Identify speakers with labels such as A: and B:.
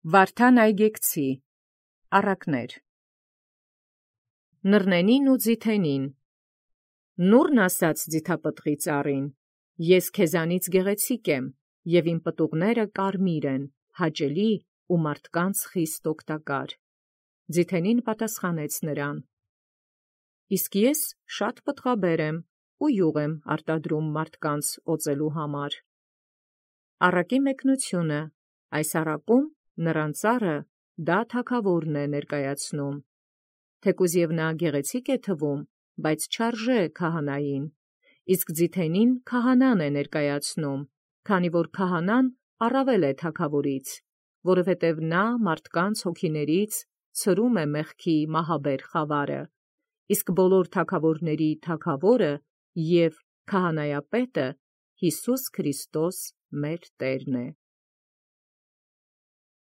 A: Վարդան այգեկցի առակներ Նռնենին ու ձիթենին Նուռն ասաց ձիթապտղի ծառին. Ես քեզանից գեղեցիկ եմ, և իմ պտուղները կարմիր են, հաճելի ու մարդկանց խիստ օգտակար։ Ձիթենին պատասխանեց նրան. Իսկ ես շատ պտղաբեր եմ ու յուղ եմ արտադրում մարդկանց օծելու համար։ Առակի մեկնությունը այս առակում նռան ծառը դա թագավորն է ներկայացնում։ Թեկուզ և նա գեղեցիկ է թվում, բայց չարժե քահանային, իսկ ձիթենին քահանան է ներկայացնում, քանի որ քահանան առավել է թագավորից, որովհետև նա մարդկանց հոգիներից ցրում է մեղքի մահաբեր խավարը, իսկ բոլոր թագավորների թագավորը և քահանայապետը Յիսուս Քրիստոս մեր Տերն է։